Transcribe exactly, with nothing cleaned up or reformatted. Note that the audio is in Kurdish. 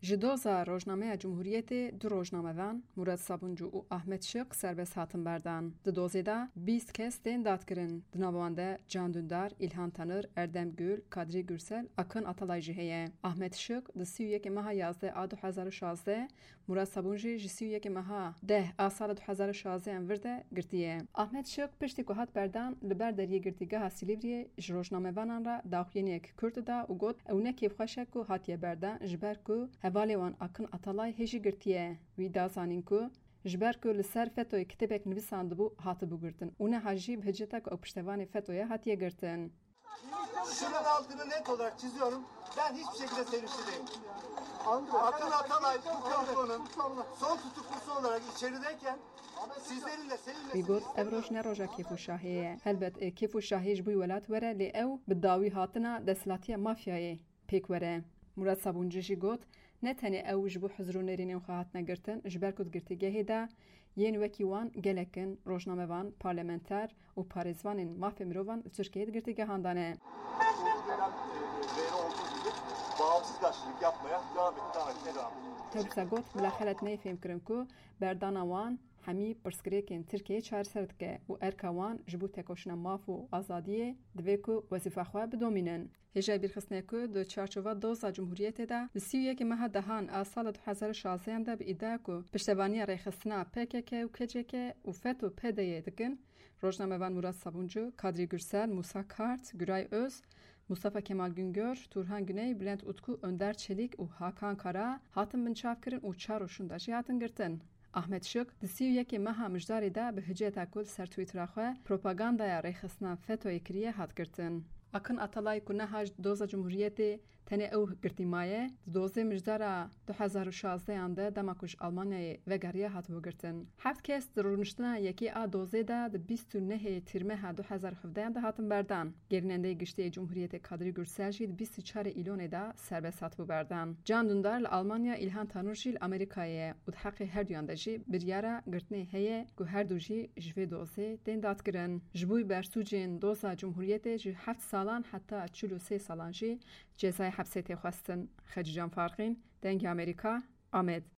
Ji doza rojnameya Cumhuriyetê du rojnamevan, Murat Sabuncu û Ahmet Şık, serbest hatin berdan. Di dozê de bîst kes tên dadkirin. Di nav wan de Can Dündar, İlhan Tanır, Erdem Gül, Kadri Gürsel, Akın Atalay jî heye. Ahmet Şık di sî û yekê meha yazdeh a du hezar û şazdeh, Murat Sabuncu ji sî û yekê meha deh a sala du hezar û şazdeh an vir de girtiye. Ahmet Şık piştî ku hat berdan, li ber deriyê girtîgeha Silîvriyê ji rojnamevanan re daxuyaniyek kurt da û got, ew ne kêfxweş e ku hatiye berdan, ji ber ku hevalê wan Akın Atalay hê jî girtiye. Wî da zanîn ku ji ber ku li ser FETÖ'yê kitêbek nivîsandibû, hatibû girtin û niha jî bi hiceta ku ew piştevanê FETÖ'ye hatiye girtin. Şunun altını net olarak çiziyorum. Ben hiçbir şekilde sevinçli değilim. Akın Atalay bu komplo'nun son tutuklusu olarak içerideyken sizlerin de sevinmesini Wî got, ev roj ne roja kêf û şahê ye. Helbet, e, kêf û şahê ji bo welat were, lê ew bi dawî hatina desthilatiya mafyayê pêk were. Murat Sabuncu jî got, ne tenê ew ji bo hizir û nêrînên xwe hatine girtin, ji ber ku di girtîgehê de yên wekî wan gelek in, rojnamevan, parlamenter û parêzvanên mafê mirovan li Tirkiyeyê di girtîgehan de ne. Bağımsız gazetecilik yapmaya devam ettik. Devam etmeye devam edeceğiz. Tewrisa got, bila xelet neyê fêhmkirin ku berdana wan hemî pirsgirêkên Tirkiyeyê çareser dike û erka wan ji bo tekoşîna maf û azadiyê divê ku wezîfa xwe bidomînin. Hêjayî bîrxistinê ku di çarçova doza Cumhuriyetê de li sî û yekê meha dehan a sala du hezar û şazdeh de bi îdia ku piştevaniya rêxistina P K K û K C K û FETÖ P D Y'ê dikin, rojnamevan Murat Sabuncu, Kadrî Gursel, Musa Kart, Güray Öz, Mustafa Kemal Güngör, Turhan Güney, Bülent Utku, Önder Çelik û Hakan Kara hatin binçavkirin û çar roj şûnde jî hatin girtin. Ahmet Şık di sî û yekê meha Mijdarê de bi hiceta ku li ser Twittera xwe propagandaya rêxistina FETÖ'yê kiriye hat girtin. Akın Atalay ku niha ji doza Cumhuriyetê tenê ew girtî maye, di dozê Mijdara du hezar û şazdeh an de dema ku ji Almanyayê vegeriya hatibû girtin. Heft kes di rûniştina yekê a dozê de di bîst û nehê Tîrmeha du hezar û hevdeh an de hatin berdan. Gerînendeyê giştî yê Cumhuriyetê Kadrî Gursel jî di bîst û çarê Îlonê de serbest hatibû berdan. Can Dündar li Almanya, Îlhan Tanur jî li Amerîkayê ye û di heqê her duyan de jî biryara girtinê heye ku her du jî ji vê dozê tên dadkirin. Ji bo bersûcên doza Cumhuriyetê ji heft salan heta çil û sê salan jî cezayê hepsê tê xwestin. Xecîcan Farqîn, Dengê Amerîka, Amed.